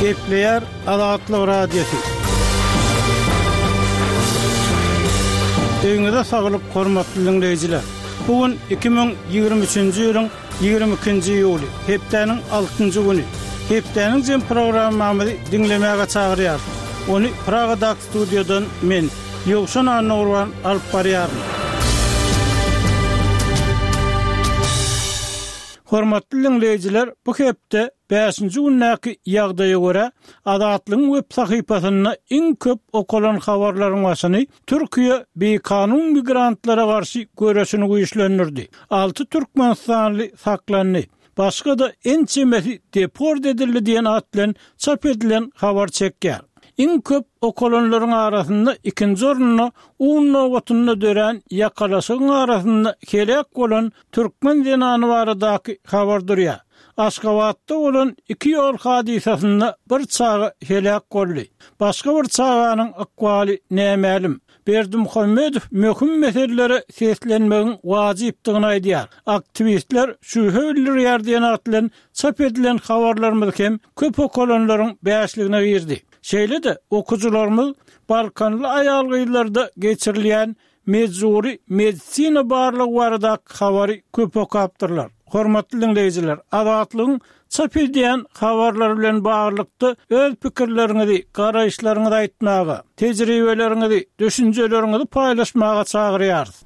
Gepleýär Azatlyk Radiosy. Öýüňize saglyk hormatly diňleýjiler. Bu gün 2023-nji ýylyň 22-nji iýuly, hepdäniň altynjy güni. Hepdäniň jem programmamyzy diňlemäge çagyrýarys. Ony Pragadaky studiýadan men, Ýowşan Annagurban alyp barýaryn. Hormatly diňleýjiler, bu hepde bäşinji gündäki ýagdaýa görä, Azatlygyň web sahypasynda iň köp okalan habarlaryň başyny Türkiýe bikanun migrantlara garşy göreşini güýçlendirdi. Alty türkmenistanly saklandy. Başga-da ençemesi deport edildi diýen at bilen çap edilen habar çekýär. Iň köp okalanlaryň arasynda ikinji orunda un nobatynda dörän ýakalaşygyň arasynda heläk bolan türkmen zenany baradaky habar durýar. Aşgabatda bolan iki ýol hadysasynda bir çaga heläk boldy. Başga bir çaganyň ykbaly nämälim. Berdimuhamedow möhüm meselelere seslenmegiň wajypdygyny aýdýar. Aktiwistler şübhe bildirýär diýen at bilen çap edilen habarlarymyz hem köp okalanlaryň bäşligine girdi. Şeýle-de, okyjylarymyz balkanly aýal-gyzlarda geçirilýän Mejbury medisina barlagy baradaky habary köp okapdyrlar. Hormatly diňleýjiler, Azatlygyň çap edýän habarlary bilen baglylykda öz pikirleriňizi, garaýyşlaryňyzy aýtmaga, tejribeleriňizi, düşünjeleriňizi paýlaşmaga çagyrýarys.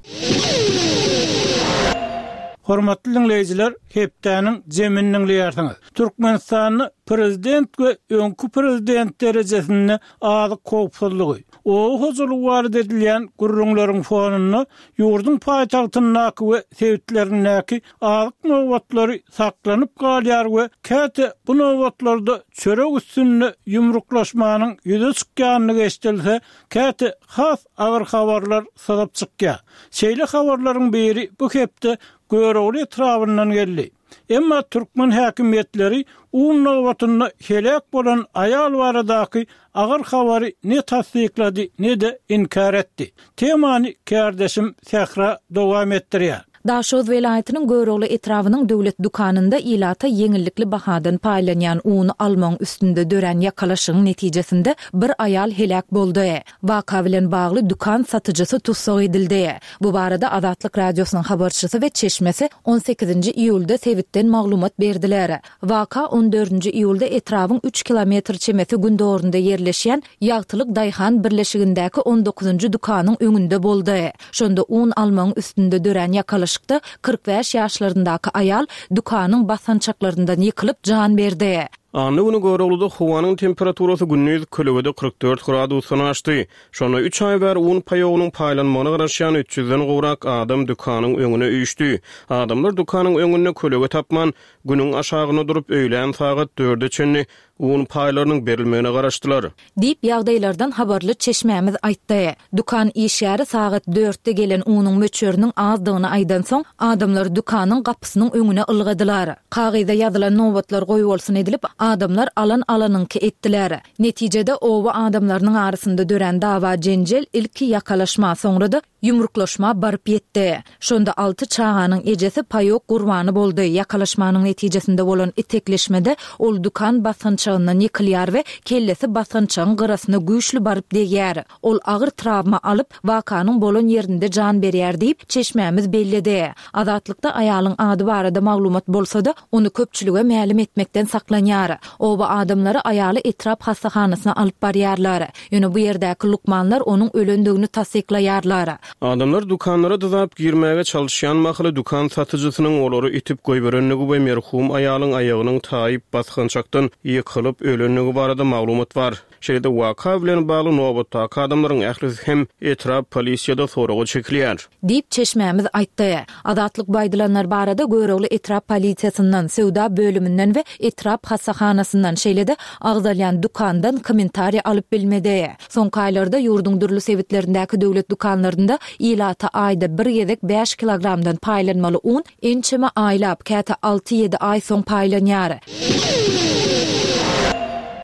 Hormatly diňleýjiler, hepdäniň jemini diňleýärsiňiz. Türkmenistanda prezident we öňki prezident derejesinde azyk howpsuzlygy, Oba hojalygy barada edilýän gürrüňleriň fonunda ýurduň paýtagtyndaky we sebitlerindäki azyk nobatlary saklanyp galýar we käte bu nobatlarda çörek üstünde ýumruklaşmanyň ýüze çykýandygy eşidilse, käte has agyr habarlar syzyp çykýar. Şeýle habarlaryň biri bu hepde Görogly etrabyndan geldi. Emma türkmen häkimiýetleri un nobatynda heläk bolan aýal baradaky agyr habary ne tassyklady, ne-de inkär etdi. Temany kärdeşim Sähra dowam etdirýär. Daşoguz welaýatynyň Görogly etrabynyň döwlet dükanynda ilata ýeňillikli bahadan paýlanýan uny almagyň üstünde dörän ýakalaşygyň netijesinde bir aýal heläk boldy. Waka bilen bagly dükan satyjysy tussag edildi. Bu barada Azatlyk Radiosynyň habarçysy we çeşmesi on sekizinji iýulda sebitden maglumat berdiler. Waka on dördünji iýulda etrabyň üç kilometr çemesi gündogarynda ýerleşýän Ýagtylyk daýhan birleşigindäki on dokuzynjy dükanyň öňünde boldy. Şonda un almagyň üstünde dörän ýakalaşykda 45 ýaşlaryndaky aýal dükanyň basgançaklaryndan ýykylyp jan berdi. Anna güni Görogluda howanyň temperaturasy gündiz kölegede 44 gradusdan aşdy. Şonda üç aý bäri un paýogynyň paýlanmagyna garaşýan üç ýüzden gowrak adam dükanyň öňüne üýşdi. Adamlar dükanyň öňünde kölege tapman, günüň aşagynda durup, öýlän sagat dörde çenli un paýlarynyň berilmegine garaşdylar. Diýip, ýagdaýlardan habarly çeşmämiz aýtdy. Dükan işgäri sagat dörtde gelen unuň möçberiniň azdygyny aýdansoň, adamlar dükanyň gapysynyň öňüne ylgadylar. Kagyza ýazylan nobatlar goýbolsun edilip, adamlar alan-alanyňky etdiler. Netijede, oba adamlarynyň arasynda dörän dawa-jenjel ilki ýakalaşma, soňra-da ýumruklaşma baryp ýetdi. Şonda alty çaganyň ejesi paýok gurbany boldy. Ýakalaşmanyň netijesinde bolan itekleşmede ol dükan basgançagyndan ýykylýar we kellesi basgançagyň gyrasyna güýçli baryp degýär. Ol agyr trawma alyp, wakanyň bolan ýerinde jan berýär diýip, çeşmämiz belledi. Azatlykda aýalyň ady barada maglumat bolsa-da, ony köpçülige mälim etmekden saklanýar. Oba adamlary aýaly etrap hassahanasyna alyp barýarlar. Ýöne bu ýerdäki lukmanlar onuň ölendigini tassyklaýarlar. Adamlar dükanlara dyzap girmäge çalyşýan mahaly dükan satyjysynyň olary itip goýberendigi we merhum aýalyň aýagynyň taýyp basgançakdan ýykylyp ölendigi barada maglumat bar. Şeýle-de waka bilen bagly nobatdaky adamlaryň ählisi hem etrap polisiýada soraga çekilýär. Diýip, çeşmämiz aýtdy. Azatlyk bu aýdylanlar barada Görogly etrap polisiýasyndan, söwda bölüminden we etrap hassahanasyndan, şeýle-de agzalýan dükandan kommentariý alyp bilmedi. Soňky aýlarda ýurduň dürli sebitlerindäki döwlet dükanlarynda ilata aýda bir gezek bäş kilogramdan paýlanmaly un ençeme aýlap, käte alty-ýedi aý soň paýlanýar.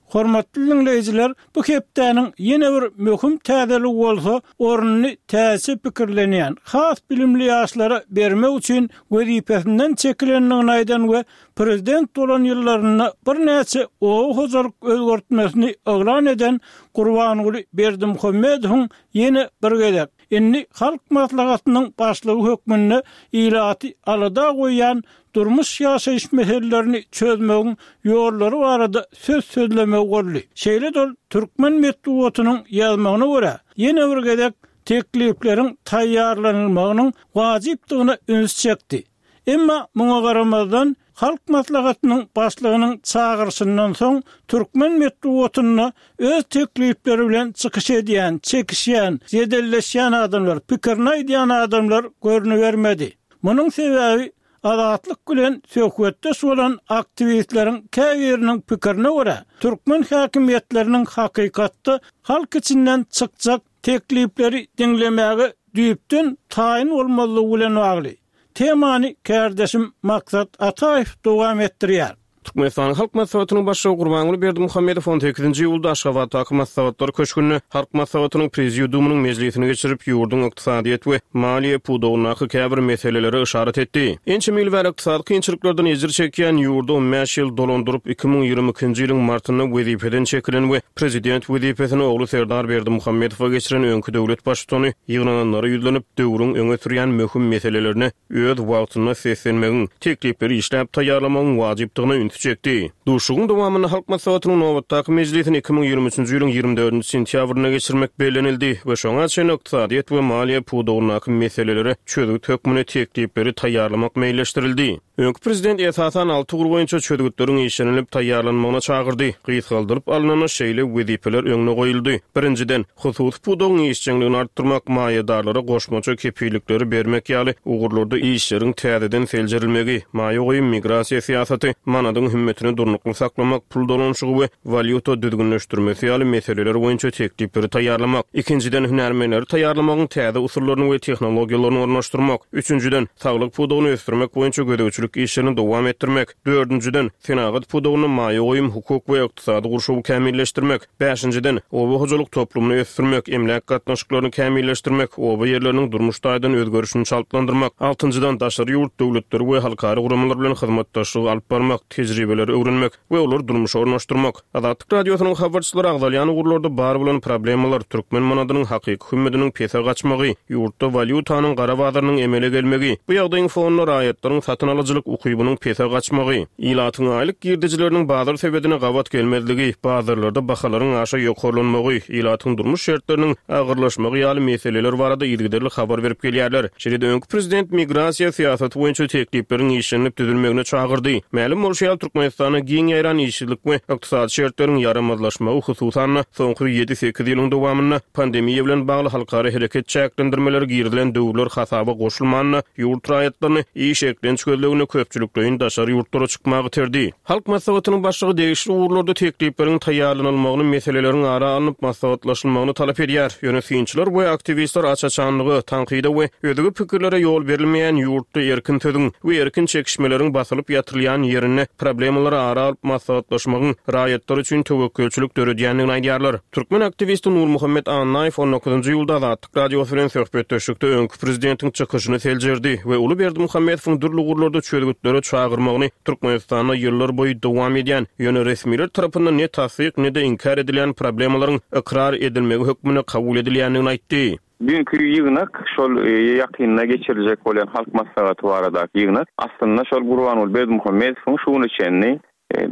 Hormatly diňleýjiler, bu hepdäniň ýene bir möhüm täzeligi bolsa, ornuny täzeçe pikirlenýän, has bilimli ýaşlara bermek üçin wezipesinden çekilendigini aýdan we prezident bolan ýyllarynda birnäçe oba hojalyk özgertmesini yglan eden Gurbanguly Berdimuhamedowyň ýene bir gezek, indi Halk Maslahatynyň Başlygy hökmünde ilaty alada goýýan durmuş-ýaşaýyş meselelerini çözmegiň ýollary barada söz sözlemegi boldy. Şeýle-de ol türkmen metbugatynyň ýazmagyna görä, ýene bir gezek teklipleriň taýýarlanylmagynyň wajypdygyna üns çekdi. Emma muňa garamazdan, Halk Maslahatynyň Başlygynyň çagyryşyndan soň türkmen metbugatynda öz teklipleri bilen çykyş edýän, çekişýän, jedelleşýän adamlar, pikirini aýdýan adamlar görnübermedi. Munuň sebäbi Azatlyk bilen söhbetdeş bolan aktiwistleriň käbiriniň pikirine görä, türkmen häkimiýetleriniň hakykatda halk içinden çykjak teklipleri diňlemäge düýpden taýyn bolmazlygy bilen bagly. Temany kärdeşim Maksat Ataýew dowam etdirýär. Türkmenistanyň Halk Maslahatynyň Başlygy Gurbanguly Berdimuhamedow on sekizinji iýulda Aşgabatdaky Maslahatlar köşgünde Halk Maslahatynyň Prezidiumynyň mejlisini geçirip, ýurduň ykdysadyýet we maliýe pudagyndaky käbir meselelere yşarat etdi. Ençeme ýyl bäri ykdysady kynçylyklardan ejir çekýän ýurdy on bäş ýyl dolandyryp, 2022-nji ýylyň martynda wezipeden çekilen we prezident wezipesini ogly Serdar Berdimuhamedowa geçiren öňki döwlet baştutany ýygnananlara ýüzlenip, döwrüň öňe sürýän möhüm meselelerine öz wagtynda seslenmegiň, teklipleri işläp taýýarlamagyň wajypdygyna ünsi çekdi. Duşuşygyň dowamynda Halk Maslahatynyň nobatdaky mejlisini 2023-nji ýylyň 24-nji sentýabrynda geçirmek bellenildi we şoňa çenli ykdysadyýet we maliýe pudagyndaky meselelere çözgüt hökmünde teklipleri taýýarlamak meýilleşdirildi. Öňki prezident esasan alty ugur boýunça çözgütleriň işlenilip taýýarlanmagyna çagyrdy. Gysgaldylyp alnanda şeýle wezipeler öňde goýuldy. Birinjiden, hususy pudagyň işjeňligini artdyrmak, maýadarlara goşmaça kepillikleri bermek ýaly ugurlarda işleriň täzeden seljerilmegi, maýa goýum, migrasiýa syýasaty, manadyň hümmetini durnukly saklamak, pul dolanyşygy we walýuta düzgünleşdirmesi ýaly meseleler boýunça teklipleri taýýarlamak. Ikinjiden, hünärmenleri taýýarlamagyň täze usullaryny we tehnologiýalaryny ornaşdyrmak. Üçünjiden, saglyk pudagyny ösdürmek boýunça gözegçilik işlerini dowam etdirmek. Dördünjiden, senagat pudagynda maýa goýum, hukuk we ykdysady gurşawy kämilleşdirmek. Bäşinjiden, oba hojalyk toplumyny ösdürmek, emläk gatnaşyklaryny kämilleşdirmek, oba ýerleriniň durmuş taýdan özgerişini çaltlandyrmak. Altynjydan, daşary ýurt döwletleri we halkara guramalar bilen hyzmatdaşlygy alyp barmak, tejribeleri öwrenmek we olary durmuşa ornaşdyrmak. Azatlyk Radiosynyň habarçylary agzalýan ugurlarda bar bolan problemalar, türkmen manadynyň hakyky hümmediniň pese gaçmagy, ýurtda walýutanyň gara bazarynyň emele gelmegi, bu ýagdaýyň fonunda raýatlaryň satyn alyjylyk ukybynyň pese gaçmagy, ilatyň aýlyk girdejileriniň bazar sebedine gabat gelmezligi, bazarlarda bahalaryň aşa ýokarlanmagy, ilatyň durmuş şertleriniň agyrlaşmagy ýaly meseleler barada yzygiderli habar berip gelýärler. Şeýle-de öňki prezident migrasiýa syýasaty boýunça teklipleriň işlenilip düzülmegine çagyrdy. Mälim bolşy ýaly, Türkmenistanda giň ýaýran işsizlik we ykdysady şertleriň ýaramazlaşmagy, hususan-da, soňky ýedi-sekiz ýylyň dowamynda pandemiýa bilen bagly halkara hereket çäklendirmeleri girizilen döwürler hasaba goşulmanda, ýurt raýatlaryny iş-eklenç gözleginde köpçülikleýin daşary ýurtlara çykmaga iterdi. Halk Maslahatynyň Başlygy degişli ugurlarda teklipleriň taýýarlanylmagyny, meseleleriň ara alnyp maslahatlaşylmagyny talap edýär. Ýöne synçylar we aktiwistler aç-açanlyga, tankyda we özge pikirlere ýol berilmeýän ýurtda erkin sözüň we erkin çekişmeleriň basylyp ýatyrylýan ýerinde problemalary ara alyp maslahatlaşmagyň raýatlar üçin töwekgelçilik döredýändigini aýdýarlar. Türkmen aktiwisti Nurmuhammet Annaýew on dokuzynjy iýulda Azatlyk Radiosy bilen söhbetdeşlikde öňki prezidentiň çykyşyny seljerdi we uly Berdimuhamedowyň dürli ugurlarda çözgütlere çagyrmagyny Türkmenistanda ýyllar boýy dowam edýän, ýöne resmiler tarapyndan ne tassyk, ne-de inkär edilýän problemalaryň ykrar edilmegi hökmünde kabul edilýändigini aýtdy. Düýnki ýygnak, şol ýakynda geçiriljek bolýan Halk Maslahaty baradaky ýygnak, aslynda şol Gurbanguly Berdimuhamedowyň şu güne çenli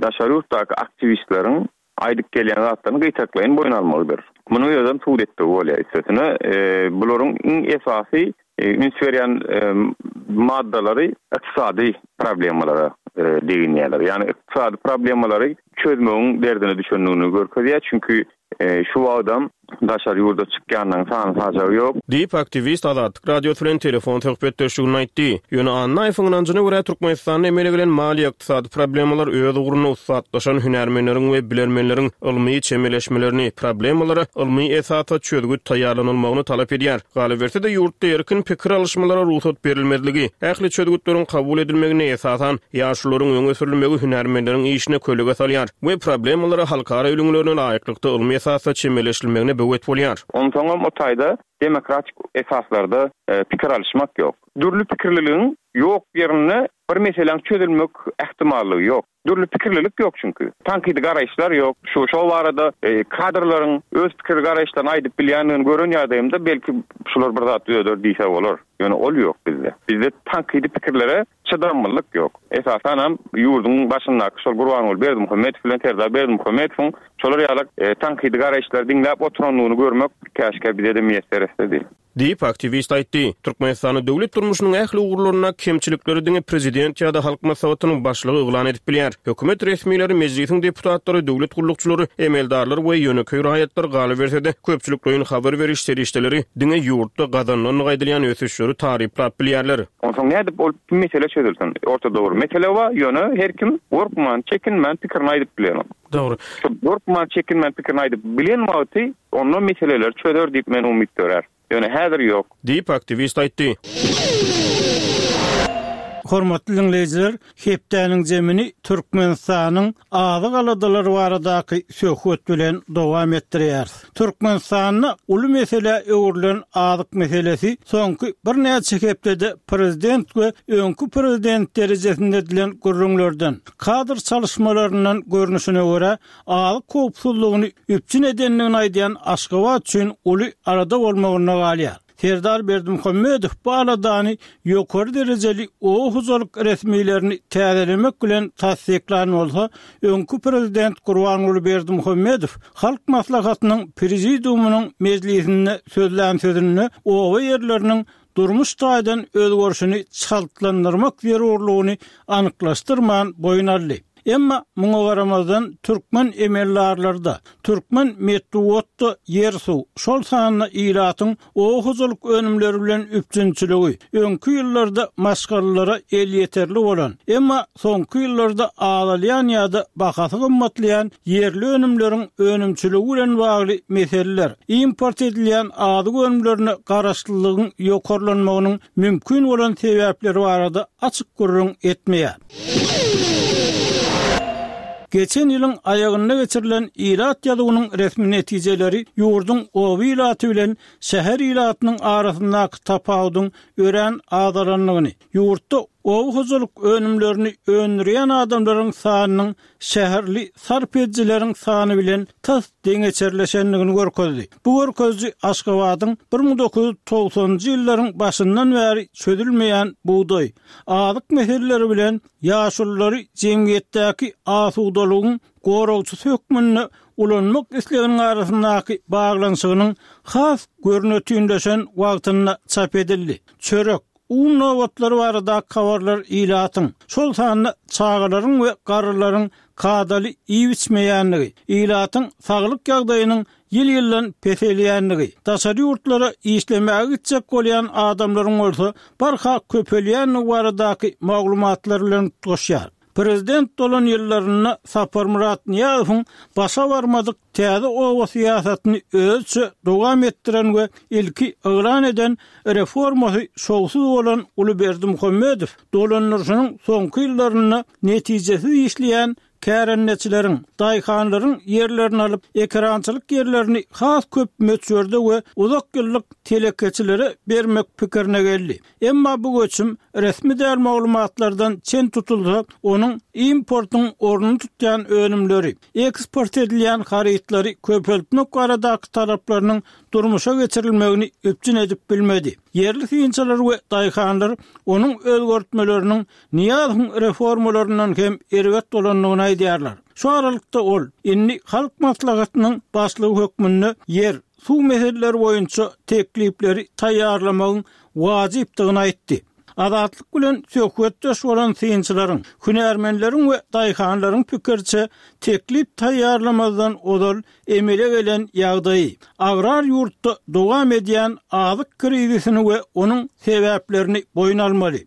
daşary ýurtdaky aktiwistleriň aýdyp gelýän zatlaryny gytaklaýyn boýun almagydyr. Munuň özem subut etdigi bolýar. Üstesine, bularyň iň esasy üns berýän maddalary ykdysady problemalara deginýärler. Ýagny ykdysady problemalary çözmegiň derdine düşendigini görkezýär. Çünki şu wagtam. Daşary ýurda çykýanlaryň sany-sajagy ýok. Diýip, aktiwist Azatlyk Radiosy bilen telefon söhbetdeşliginde aýtdy. Ýöne Annaýewiň ynanjyna görä, Türkmenistanda emele gelen maliýe-ykdysady problemalar öz ugrunda ussatlaşan hünärmenleriň we bilermenleriň ylmy çemeleşmelerini, problemalara ylmy esasda çözgüt taýýarlanylmagyny talap edýär. Galyberse-de, ýurtda erkin pikir alyşmalara rugsat berilmezligi, ähli çözgütleriň kabul edilmeginde esasan ýaşulularyň öňe sürülmegi hünärmenleriň işine kölege salýar we problemalara halkara ülňülerine laýyklykda ylmy esasda çemeleşilmegine böwet bolýar. Onsoňam o taýda demokratik esaslarda pikir alyşmak ýok. Dürli pikirliligiň ýok ýerinde bir meseläň çözülmek ähtimallygy ýok. Dürli pikirlilik ýok çünki. Tankydy garaýyşlar ýok. Şu şo barada kadrlaryň öz pikir garaýyşlaryny aýdyp bilýändigini gören ýagdaýymda belki şular bir zat düzeder diýse bolar. Ýöne ol ýok bizde. Bizde tankydy pikirlere çydamlylyk ýok. Esasanam ýurduň başyndaky şol Gurbanguly Berdimuhamedow bilen Serdar Berdimuhamedowyň şolar ýaly tankydy garaýyşlary diňläp oturandygyny görmek käşgä bize-de miýesser etsedi. Diýip, aktiwist aýtdy. Türkmenistanda döwlet durmuşynyň ähli ugurlarynda kemçilikleri diňe prezident ýa-da Halk Maslahatynyň başlygy yglan edip bilýär. Hökümet resmileri, Mejlisiň deputatlary, döwlet gullukçylary, emeldarlar we ýönekeý raýatlar, galyberse-de, köpçülikleýin habar beriş serişdeleri diňe ýurtda gazanylandygy aýdylýan ösüşleri taryplap bilýärler. Onsoň nädip ol mesele çözülsin? Ortada bir mesele bar, ýöne her kim gorkman, çekinmän pikirini aýdyp bilenok. Dogry. Şol gorkman, çekinmän pikirini aýdyp bilen wagty Onda meseleleri çözer diýip men umyt dörär. Ýöne häzir ýok. Diýip, aktiwist aýtdy. Hormatly diňleýjiler, hepdäniň jemini Türkmenistanyň azyk aladalary baradaky söhbet bilen dowam etdirýäris. Türkmenistanda uly meselä öwrülen azyk meselesi soňky birnäçe hepdede prezident we öňki prezident derejesinde edilen gürrüňlerden, kadr çalyşmalaryndan görnüşine görä, azyk howpsuzlygyny üpjün edendigini aýdýan Aşgabat üçin uly alada bolmagynda galýar. Serdar Berdimuhamedow bu aladany ýokary derejeli oba hojalyk resmilerini täzelemek bilen tassyklan bolsa, öňki prezident Gurbanguly Berdimuhamedow Halk Maslahatynyň Prezidiumynyň mejlisinde sözlän sözünde oba ýerleriniň durmuş taýdan özgerişini çaltlandyrmak zerurlygyny anyklaşdyrman boýun aldy. Emma muňa garamazdan türkmen emeldarlary-da, türkmen metbugat-da ýer-suw, şol sanda ilatyň oba hojalyk önümleri bilen üpjünçiligi öňki ýyllarda maşgalalara elýeterli bolan, emma soňky ýyllarda azalýan ýa-da bahasy gymmatlaýan ýerli önümleriň önümçiligi bilen bagly meseleler, import edilýän azyk önümlerine garaşlylygyň ýokarlanmagynyň mümkin bolan sebäpleri barada açyk gürrüň etmeýär. Geçen ýylyň aýagynda geçirilen ilat ýazuwynyň resmi netijeleri ýurduň oba ilaty bilen şäher ilatynyň arasyndaky tapawudyň örän azalandygyny, ýurtda oba hojalyk önümlerini öndürýän adamlaryň sanynyň şäherli sarp edijileriň sany bilen tas deňeçerleşendigini görkezdi. Bu görkeziji Aşgabadyň 1990-njy ýyllaryň başyndan bäri çözülmeýän bugdaý, azyk meseleleri bilen ýaşululary jemgyýetdäki asudalygyň goragçysy hökmünde ulanmak isleginiň arasyndaky baglanyşygynyň has görnetinleşen wagtynda çap edildi. Çörek, Un nobatlary baradaky habarlar ilatyň, şol sanda çagalaryň we garrylaryň kadaly iýip-içmeýändigi, ilatyň saglyk ýagdaýynyň ýyl-ýyldan peselýändigi, daşary ýurtlara işlemäge gitjek bolýan adamlaryň bolsa barha köpelýändigi baradaky maglumatlar bilen utgaşýar. Prezident bolan ýyllarynda Saparmyrat Nyýazowyň başa barmadyk täze oba syýasatyny özüçe dowam etdiren we ilki yglan eden reformasy şowsuz bolan uly Berdimuhamedow dolandyryşynyň soňky ýyllarynda netijesiz işleýän kärendeçileriň, daýhanlaryň ýerlerini alyp, ekerançylyk ýerlerini has köp möçberde we uzak ýyllyk telekeçilere bermek pikirine geldi. Emma bu göçüm resmi däl maglumatlardan çen tutulsa, onuň importyň ornuny tutýan önümleri, eksport edilýän harytlary köpeltmek baradaky talaplarynyň durmuşa geçirilmegini üpjün edip bilmedi. Ýerli synçylar we daýhanlar onuň özgertmeleriniň Nyýazowyň reformalaryndan hem erbet bolandygyny aýdýarlar. Şu aralykda ol, indi Halk Maslahatynyň başlygy hökmünde ýer, suw meseleleri boýunça teklipleri taýýarlamagyň wajypdygyny aýtdy. Azatlyk bilen söhbetdeş bolan synçylaryň, hünärmenleriň we daýhanlaryň pikiriçe, teklip taýýarlamazdan ozal emele gelen ýagdaýy, agrar ýurtda dowam edýän azyk krizisini we onuň sebäplerini boýun almaly.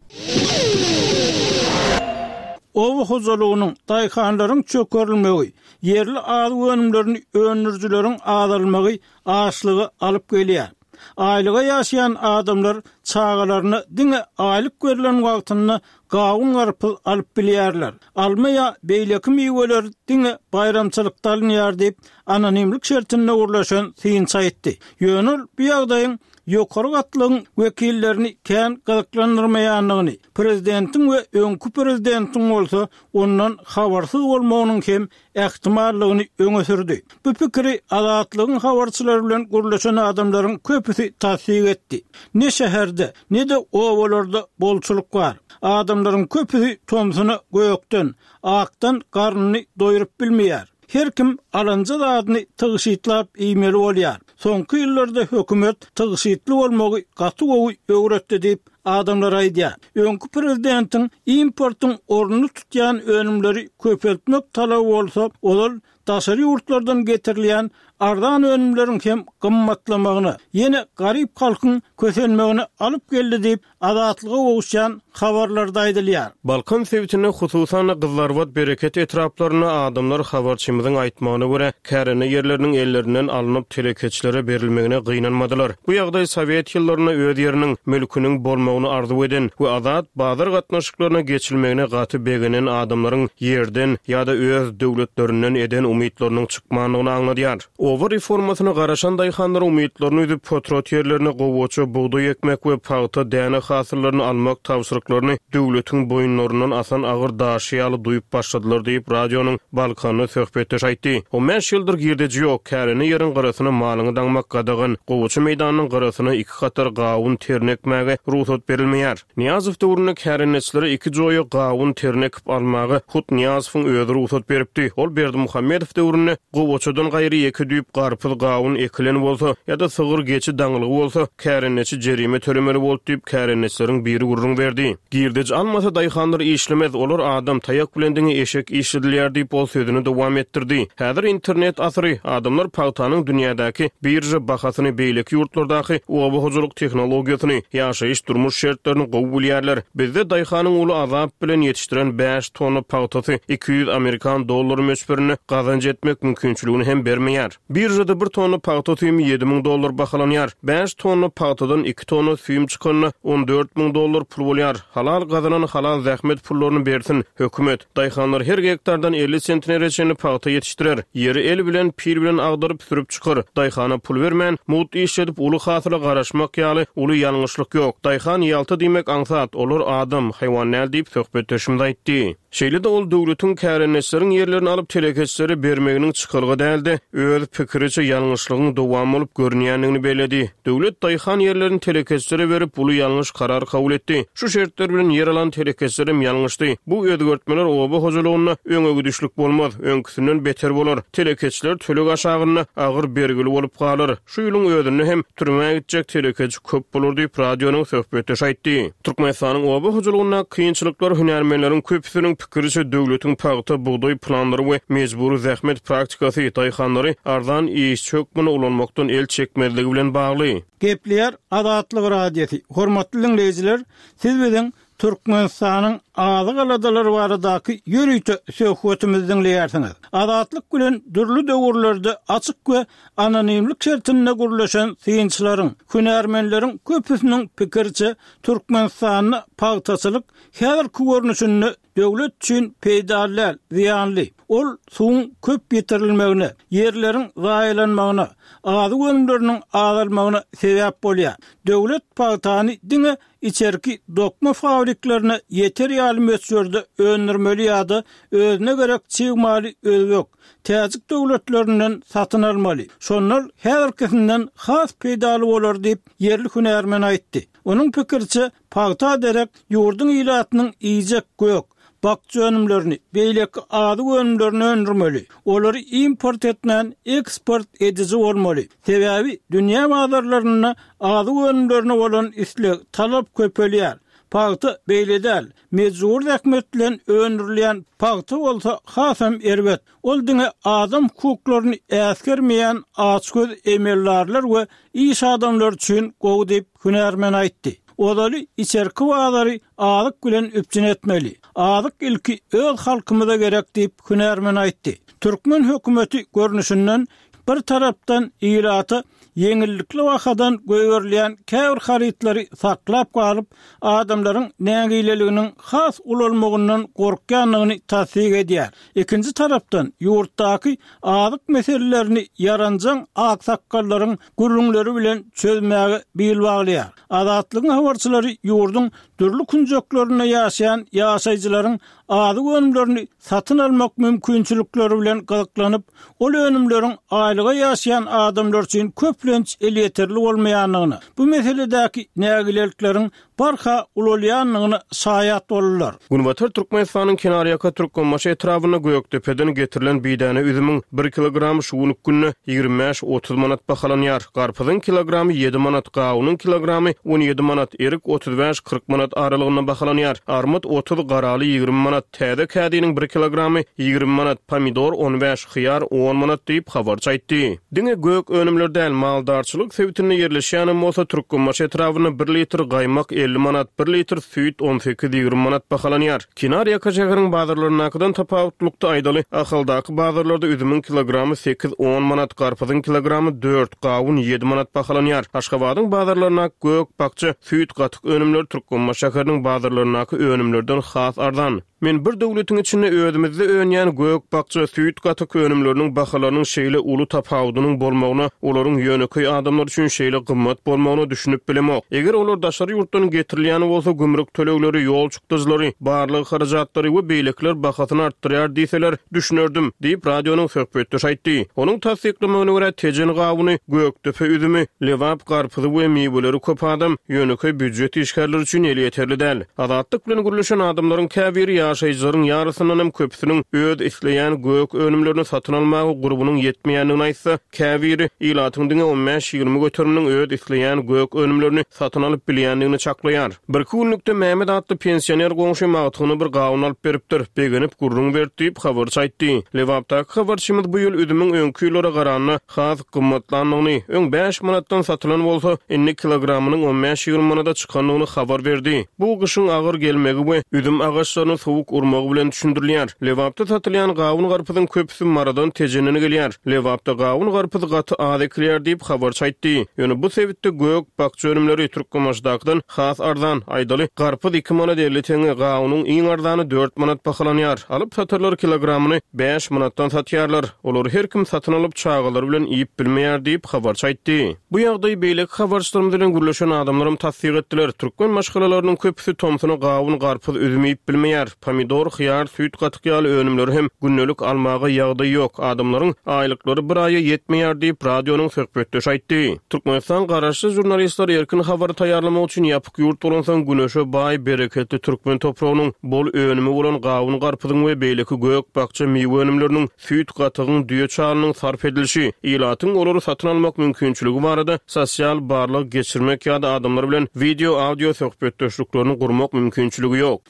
Oba hojalygynyň, daýhanlaryň çökerilmegi, ýerli azyk önümlerini öndürijileriň azalmagy açlyga alyp gelýär. Aýlyga ýaşaýan adamlar çagalaryna diňe aýlyk berlen wagtynda gawun-garpyz alyp bilýärler. Alma ýa beýleki miweler diňe baýramçylykda alynýar diýip, anonimlik şertinde gürleşen synçy aýtdy. Ýöne ol bu ýagdaýyň ýokary gatlagyň wekillerini kän gyzyklandyrmaýandygyny, prezidentiň we öňki prezidentiň bolsa ondan habarsyz bolmagynyň hem ähtimallygyny öňe sürdi. Bu pikiri Azatlygyň habarçylary bilen gürleşen adamlaryň köpüsi tassyk etdi. Ne şäherde, ne-de obalarda bolçulyk bar. Adamlaryň köpüsi tomsuna gökden, akdan garnyny doýrup bilmeýär. Her kim alanja zadyny tygşytlap iýmeli bolýar. Soňky ýyllarda hökümet tygşytly bolmagy gaty gowy öwretdi diýip, adamlar aýdýar. Öňki prezidentiň importyň ornuny tutýan önümleri köpeltmek talaby bolsa, ozal daşary ýurtlardan getirilýän arzan önümleriň hem gymmatlamagyna, ýene garyp halkyň kösenmegine alyp geldi diýip, Azatlyga gowuşýan habarlarda aýdylýar. Balkan sebitinde, hususan-da, Gyzlarbat, Bereket etraplarynda adamlar habarçymyzyň aýtmagyna görä, kärende ýerleriniň ellerinden alnyp, telekeçilere berilmegine gynanmadylar. Bu ýagdaý sowet ýyllarynda öz ýeriniň, mülküniň bolmagyny arzuw eden we azat bazar gatnaşyklaryna geçilmegine gaty begenen adamlaryň ýerden ýa-da öz döwletlerinden eden umytlarynyň çykmandygyny aňladýar. Oba reformasyna garaşan daýhanlar umytlaryny üzüp, potrat ýerlerine gowaça, bugdaý ekmek we pagta, däne hasyllaryny almak tabşyryklaryny döwletiň boýunlaryndan asan agyr daşy ýaly duýup başladylar diýip, radionyň Balkanly söhbetdeşi aýtdy. On bäş ýyldyr girdeji ýok, kärende ýeriň gyrasyna malyňy daňmak gadagan, gowaça meýdanynyň gyrasyna iki hatar gawun terini ekmäge rugsat berilmeýär. Nyýazow döwründe kärendeçilere iki joýa gawun terini ekip almaga hut Nyýazowyň özi rugsat beripdi. Ol Berdimuhamedow döwründe gowaçadan gaýry ýeke düýp garpyz, gawun ekilen bolsa ýa-da sygyr, geçi daňylgy bolsa, kärendeçi jerime tölemeli boldy diýip, kärendeçileriň biri gürrüň berdi. Girdeji almasa daýhanlar işlemez, olar adam, taýak bilen diňe eşek işledilýär diýip, ol sözüni dowam etdirdi. Häzir internet asyry, adamlar pagtanyň dünýädäki birža bahasyny, beýleki ýurtlardaky oba hojalyk tehnologiýasyny, ýaşaýyş-durmuş şertlerini gowy bilýärler. Bizde daýhanyň uly azap bilen ýetişdiren bäş tonna pagtasy 200 amerikan dollary möçberinde gazanç etmek mümkinçiligini hem bermeýär. Biržada bir tonna pagta süýümi 7000 dollar bahalanýar. Bäş tonna pagtadan iki tonna süýüm çykanda 14 000 dollar pul bolýar. Halal gazanan halal zähmet pullaryny bersin, hökümet. Daýhanlar her gektardan 50 sentnere çenli pagta ýetişdirer. Ýeri el bilen, pil bilen agdaryp, sürüp çykar. Daýhana pul bermän, mugt işledip, uly hasyla garaşmak ýaly uly ýalňyşlyk ýok. Daýhan ýalta diýmek aňsat, olar adam, haýwan däl diýip, söhbetdeşimiz aýtdy. Şeýle-de ol döwletiň kärendeçileriň ýerlerini alyp telekeçilere bermeginiň çykalga däl-de, öz pikiriçe ýalňyşlygyň dowamy bolup görünýändigini belledi. Döwlet daýhan ýerlerini telekeçilere berip, uly ýalňyş karar kabul etdi. Şu şertler bilen ýer alan telekeçilerem ýalňyşdy. Bu özgertmeler oba hojalygynda öňe gidişlik bolmaz, öňküsinden beter bolar. Telekeçiler töleg aşagynda agyr bergili bolup galar. Şu ýylyň özünde hem türmä gitjek telekeçi köp bolar diýip, radionyň söhbetdeşi aýtdy. Türkmenistanyň oba hojalygyndaky kynçylyklar hünärmenleriň köpüsiniň pikiriçe döwletiň pagta, bugdaý planlary we mejbury zähmet praktikasy daýhanlary arzan işçi hökmünde ulanmakdan el çekmezligi bilen bagly. Gepleýär Azatlyk Radiosy, Hormatly diňleýjiler, siz biziň Türkmenistanyň azyk aladalary baradaky ýörite söhbetimizi diňleýärsiňiz. Azatlyk bilen dürli döwürlerde açyk we anonimlik şertinde gürleşen synçylaryň, hünärmenleriň köpüsiniň pikiriçe, Türkmenistanda pagtaçylyk häzirki görnüşinde döwlet üçin peýdaly däl, zyýanly. Ol suwuň köp ýitirilmegine, ýerleriň zaýalanmagyna, azyk önümleriniň azalmagyna sebäp bolýar. Döwlet pagtany diňe içerki dokma fabriklerine ýeter ýaly möçberde öndürmeli ýa-da özüne gerek çig maly özbek, täjik döwletlerinden satyn almaly. Şonda ol häzirkisinden has peýdaly bolar diýip, ýerli hünärmen aýtdy. Onuň pikiriçe, pagta derek ýurduň ilatynyň iýjek gök, bakja önümlerini, beýleki azyk önümlerini öndürmeli. Olary import etmän, eksport ediji bolmaly. Sebäbi dünýä bazarlarynda azyk önümlerine bolan isleg, talap köpelýär. Pagta beýle däl. Mejbury zähmet bilen öndürilýän pagta bolsa hasam erbet. Ol diňe adam hukuklaryny äsgermeýän açgöz emeldarlar we iş adamlary üçin gowy diýip, hünärmen aýtdy. Ozaly içerki bazary azyk bilen üpjün etmeli. Azyk ilki öz halkymyza gerek diýip, hünärmen aýtdy. Türkmen hökümeti görnüşinden Bir tarapdan ilata ýeňillikli bahadan goýberilýän käbir harytlary saklap galyp, adamlaryň nägileliginiň has ulalmagyndan gorkýandygyny tassyk edýär. Ikinji tarapdan, ýurtdaky azyk meselelerini ýaranjaň aksakgallaryň gürrüňleri bilen çözmäge bil baglaýar. Azatlygyň habarçylary ýurduň dürli künjeklerinde ýaşaýan ýaşaýjylaryň azyk önümlerini satyn almak mümkinçilikleri bilen gyzyklanyp, ol önümleriň aýlyga ýaşaýan adamlar üçin köplenç elýeterli bolmaýandygyna, bu meseledäki nägilelikleriň barha ulalýandygyna şaýat boldular. Günbatar Türkmenistanyň kenarýaka Türkmenbaşy etrabynda Gökdepeden getirilen bidäne üzümiň bir kilogramy şu günki günde 25-30 manat bahalanýar. Garpyzyň kilogramy ýedi manat, gawunyň kilogramy 17 manat, erik 35-40 manat aralygynda bahalanýar. Armyt 30, garaly 20 manat, täze kädiniň bir kilogramy 20 manat, pomidor on bäş, hyýar on manat diýip, habarçy aýtdy. Diňe gök önümler däl, maldarçylyk sebitinde ýerleşýänem bolsa, Türkmenbaşy etrabynda bir litr gaýmak 50 manat, bir litr süýt on sekiz-ýigrimi manat bahalanýar. Kenar ýaka şäheriň bazarlaryndakydan tapawutlykda aýdaly, Ahaldaky bazarlarda üzümiň kilogramy sekiz-on manat, garpyzyň kilogramy dört, gawun ýedi manat bahalanýar. Aşgabadyň bazarlaryndaky gök, bakja, süýt, gatyk önümleri Türkmenbaşy şäheriniň bazarlaryndaky önümlerden has arzan. Men bir döwletiň içinde özümizde önýän gök, bakja, süýt, gatyk önümleriniň bahalarynyň şeýle uly tapawudynyň bolmagyna, olaryň ýönekeý adamlar üçin şeýle gymmat bolmagyna düşünip bilemok. Eger olar daşary ýurtdan getirilýän bolsa, gümrük tölegleri, ýol çykdajylary, barlag harajatlary we beýlekiler bahasyny artdyrýar diýseler, düşünerdim, diýip, radionyň söhbetdeşi aýtdy. Onuň tassyklamagyna görä, Tejen gawuny, Gökdepe üzümi, Lebap garpyzy we miweleri köp adam, ýönekeý býujet işgärleri üçin elýeterli däl. Azatlyk bilen gürleşen adamlaryň käbiri ýaşaýjylaryň ýarysyndanam köpüsiniň öz isleýän gök önümlerini satyn almaga gurbunyň ýetmeýändigini aýtsa, käbiri ilatyň diňe on bäş-ýigrimi göteriminiň öz isleýän gök önümlerini satyn alyp bilýändigini çaklaýar. Birki günlükde Mehmet atly pensioner goňşym agtygyna bir gawun alyp beripdir, begenip gürrüň berdi diýip, habarçy aýtdy. Lebapdaky habarçymyz bu ýyl üzümiň öňki ýyllara garanda has gymmatlandygyny, öň bäş manatdan satylan bolsa, indi kilogramynyň on bäş-ýigrimi manada çykandygyny habar berdi. Bu gyşyň agyr gelmegi we üzüm agaçlaryny sowuk urmagy bilen düşündirilýär. Lebapda satylýan gawun-garpyzyň köpüsi Marydan, Tejenden gelýär. Lebapda gawun-garpyz gaty az ekilýär diýip, habarçy aýtdy. Ýöne bu sebitde gök, bakja önümleri Türkmenbaşydakydan has arzan. Aýdaly, garpyz iki manat 50 teňňe, gawunyň iň arzany dört manat bahalanýar. Alyp-satarlar kilogramyny bäş manatdan satýarlar. Olary her kim satyn alyp, çagalary bilen iýip bilmeýär diýip, habarçy aýtdy. Bu ýagdaýy beýleki habarçylarymyz bilen gürleşen adamlaram tassyk etdiler. Türkmen maşgalalarynyň köpüsi tomsuna gawun, garpyz, üzüm iýip bilmeýär. Pomidor, hyýar, süýt, gatyk ýaly önümleri hem gündelik almaga ýagdaý ýok. Adamlaryň aýlyklary bir aýa ýetmeýär diýip, radionyň söhbetdeşi aýtdy. Türkmenistan garaşsyz žurnalistler erkin habary taýýarlamak üçin ýapyk ýurt bolansoň, güneşe baý, bereketli türkmen topragynyň bol önümi bolan gawun-garpyzyň we beýleki gök-bakja miwe önümleriniň süýt gatygyň, düýe çalynyň sarp edilişi, ilatyň olary satyn almak mümkinçiligi barada sosial barlag geçirmek ýa-da adamlar bilen wideo-audio söhbetdeşliklerini gurmak mümkinçiligi ýok.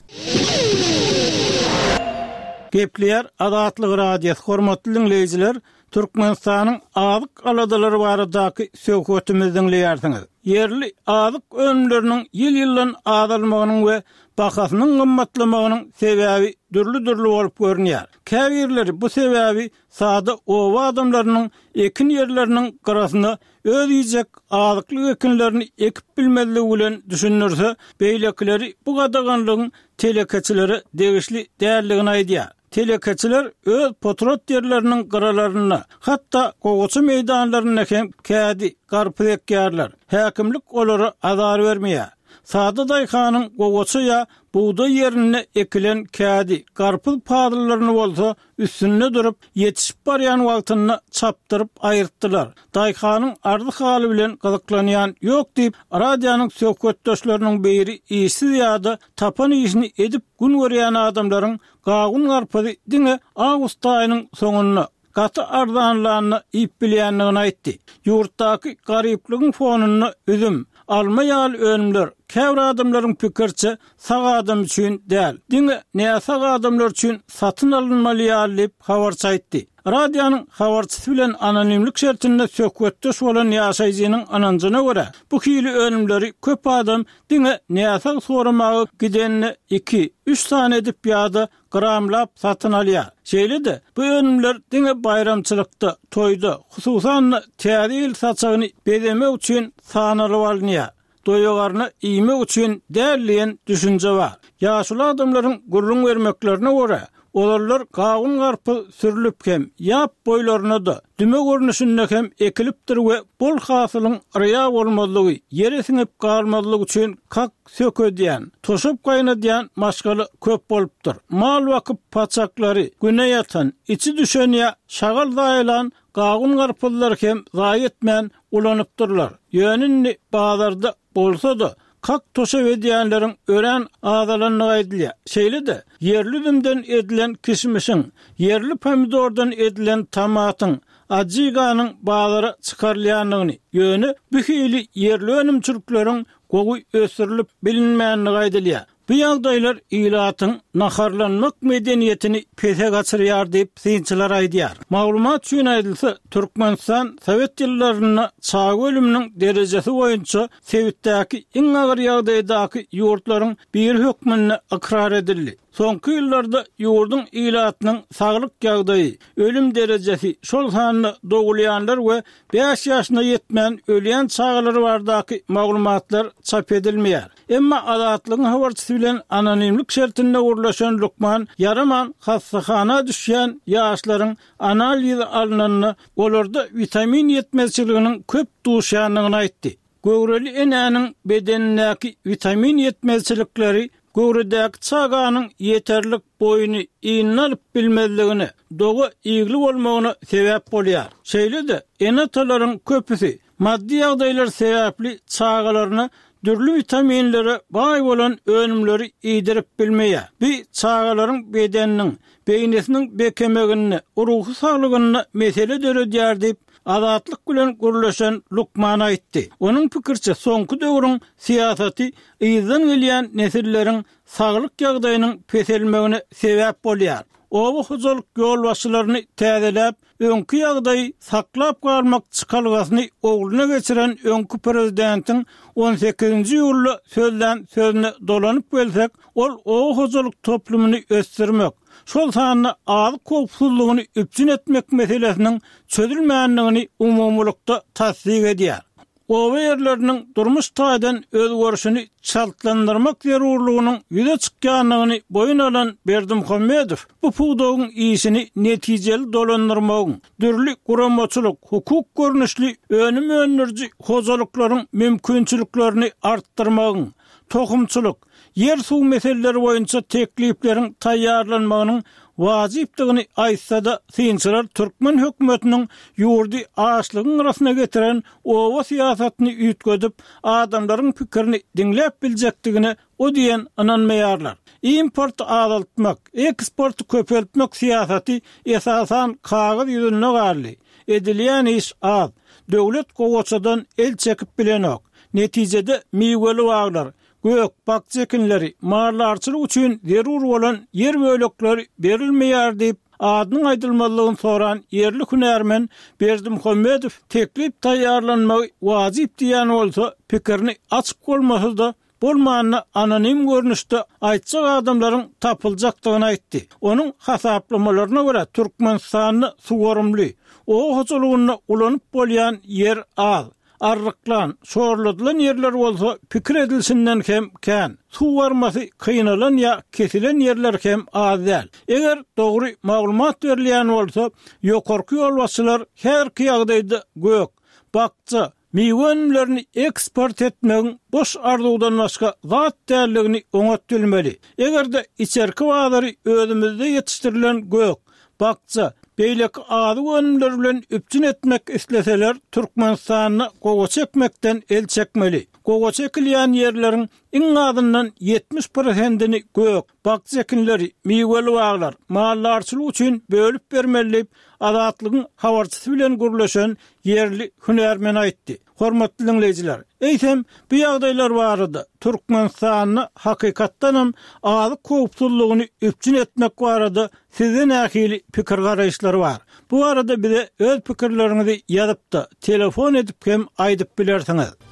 Gepleýär Azatlyk Radiosy, hormatly diňleýjiler, Türkmenistanyň azyk aladalary baradaky söhbetimizi diňleýärsiňiz. Ýerli azyk önümleriniň ýyl-ýyldan azalmagynyň we bahasynyň gymmatlamagynyň sebäbi dürli-dürli bolup görünýär. Käbirleri bu sebäbi sada oba adamlarynyň ekin ýerleriniň gyrasyna öz iýjek azyklyk ekinlerini ekip bilmezligi bilen düşündirse, beýlekileri bu gadaganlygyň telekeçilere degişli däldigini aýdýar. Telekeçiler öz potrat ýerleriniň gyralarynda, hatda gowaça meýdanlarynda hem kädi, garpyz ekýärler. Häkimlik olara azar bermeýär. Sada daýhanyň gowaça ýa bugdaý ýerinde ekilen kädi, garpyz pazyllaryny bolsa üstünde durup, ýetişip barýan wagtynda çapdyryp aýyrtdylar. Daýhanyň arzy-haly bilen gyzyklanýan ýok diýip, radionyň söhbetdeşleriniň biri işsiz ýa-da tapan işini edip gün görýän adamlaryň gawun-garpyzy diňe awgust aýynyň soňunda, gaty arzanlanda iýip bilýändigini aýtdy. Ýurtdaky garyplygyň fonunda üzüm, alma ýaly önümler. Käbir adamlaryň pikiriçe, sag adam üçin däl, diňe näsag adamlar üçin satyn alynmaly ýaly diýip, habarçy aýtdy. Radionyň habarçysy bilen anonimlik şertinde söhbetdeş bolan ýaşaýjynyň ynanjyna görä, bu hili önümleri köp adam diňe näsag soramaga gidende iki, üç sany edip ýa-da gramlap satyn alýar. Şeýle-de, bu önümler diňe baýramçylykda, toýda, hususan-da, Täze ýyl saçagyny bezemek üçin sanalyp alynýar. Doýagarna iýmek üçin däl diýen düşünje bar. Ýaşuly adamlaryň gürrüň bermeklerine görä, ozallar gawun-garpyz sürlüp hem, ýap boýlaryna-da, düme görnüşinde hem ekilipdir we bol hasylyň yrýa bolmazlygy, ýere siňip galmazlygy üçin kak sökedýän, toşap gaýnadýan maşgala köp bolupdyr. Mal bakyp paçaklary, güne ýatan, içi düşen ýa şagal zaýalan gawun-garpyzlary hem zaýa etmän ulanypdyrlar. Ýöne indi bazarda bolsa-da, kak toşap edýänleriň örän azalandygy aýdylýar. Şeýle-de, ýerli üzümden edilen kişmişiň, ýerli pomidordan edilen tomatyň, ajiganyň bazara çykarylýandygyny, ýöne bu hili ýerli önümçilikleriň gowy ösdürilip bilinmändigi aýdylýar. Bu ýagdaýlar ilatyň naharlanmak medeniýetini pese gaçyrýar diýip, synçylar aýdýar. Maglumat üçin aýdylsa, Türkmenistan sowet ýyllarynda çaga ölüminiň derejesi boýunça sebitdäki iň agyr ýagdaýdaky ýurtlaryň biri hökmünde ykrar edildi. Soňky ýyllarda ýurduň ilatynyň saglyk ýagdaýy, ölüm derejesi, şol sanda dogulýanlar we bäş ýaşyna ýetmän ölýän çagalar baradaky maglumatlar çap edilmeýär. Emma Azatlygyň habarçysy bilen anonimlik şertinde gürleşen lukman ýaraman hassahana düşýän ýaşlaryň analizi alnanda olarda witamin ýetmezçiliginiň köp duşýandygyny aýtdy. Göwreli enäniň bedenindäki witamin ýetmezçilikleri göwredäki çaganyň ýeterlik boýuny ynyna alyp bilmezligine, doga igli bolmagyna sebäp bolýar. Şeýle-de, ene-atalaryň köpüsi maddy ýagdaýlar sebäpli çagalaryna dürli witaminlere baý bolan önümleri iýdirip bilmeýär. Bu çagalaryň bedeniniň, beýnisiniň bekemeginde, ruhy saglygynda mesele döredýär diýip, Azatlyk bilen gürleşen lukman aýtdy. Onuň pikiriçe, soňky döwrüň syýasaty yzdan gelýän nesilleriň saglyk ýagdaýynyň peselmegine sebäp bolýar. Oba hojalyk ýolbaşçylaryny täzeläp, öňki ýagdaýy saklap galmak çykalgasyny ogluna geçiren öňki prezidentiň on sekizinji iýulda sözlän sözüne dolanyp gelsek, ol oba hojalyk toplumyny ösdürmek, şol sanda azyk howpsuzlygyny üpjün etmek meselesiniň çözülmändigini umumylykda tassyk edýär. Oba ýerleriniň durmuş taýdan özgerişini çaltlandyrmak zerurlygynyň ýüze çykýandygyny boýun alan Berdimuhamedow bu pudagyň işini netijeli dolandyrmagyň, dürli guramaçylyk, hukuk görnüşli önüm öndüriji hojalyklaryň mümkinçiliklerini artdyrmagyň, tohumçylyk, ýer-suw meseleleri boýunça teklipleriň taýýarlanmagynyň wajypdygyny aýtsa-da, synçylar türkmen hökümetiniň ýurdy açlygyň gyrasyna getiren oba syýasatyny üýtgedip, adamlaryň pikirini diňläp biljekdigine o diýen ynanmaýarlar. Importy azaltmak, eksporty köpeltmek syýasaty esasan kagyz ýüzünde galdy. Edilýän iş az. Döwlet gowaçadan el çekip bilenok. Netijede miweli baglar, gök, bakja ekinleri, maldarçylyk üçin zerur bolan ýer bölekleri berilmeýär diýip, adynyň aýdylmazlygyny soran ýerli hünärmen Berdimuhamedow teklip taýýarlanmagy wajyp diýýän bolsa, pikirini açyk bolmasa-da, bolmanda anonim görnüşde aýtjak adamlaryň tapyljakdygyny aýtdy. Onuň hasaplamalaryna görä, Türkmenistanda suwarymly, oba hojalygynda ulanyp bolýan ýer az. Arryklan, şorladylan ýerler bolsa pikir edilişinden hem kän. Suw barmasy kynalan ýa kesilen ýerler hem az däl. Eger dogry maglumat berilýän bolsa, ýokarky ýolbaşçylar häzirki ýagdaýda gök, bakja, miwe önümlerini eksport etmegiň boş arzuwdan başga zat däldigini oňat bilmeli. Eger-de içerki bazary özümizde ýetişdirilen gök, bakja, beýleki azyk önümleri bilen üpjün etmek isleseler, Türkmenistanda gowaça ekmekden el çekmeli. Gowaça ekilýän ýerleriň iň azyndan 70 prosentini gök, bakja ekinleri, miweli baglar, maldarçylyk üçin bölüp bermeli diýip, Azatlygyň habarçysy bilen gürleşen ýerli hünärmen aýtdy. Hormatly diňleýjiler, eýsem, bu ýagdaýlar barada, Türkmenistanda hakykatdanam azyk howpsuzlygyny üpjün etmek barada sizde nähili pikir-garaýyşlar bar? Bu barada bize öz pikirleriňizi ýazyp-da, telefon edip hem aýdyp bilersiňiz.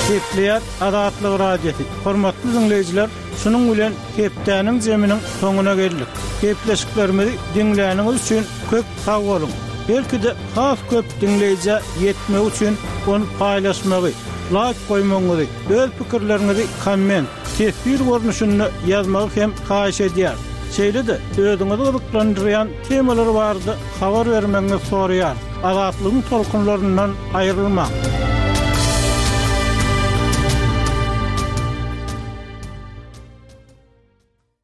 Gepleýär Azatlyk Radiosy. Hormatly diňleýjiler, şunuň bilen hepdäniň zeminiň soňuna geldik. Gepleşiklerimizi diňläniňiz üçin köp sag boluň. Belki-de has köp diňleýjä ýetmegi üçin ony paýlaşmagy, laýk goýmagyňyzy, öz pikirleriňizi komment, teswir görnüşinde ýazmagy hem haýyş edýäris. Şeýle-de özüňizi gyzyklandyrýan temalar barada habar bermegiňizi soraýarys. Azatlygyň tolkunlaryndan aýrylmaň!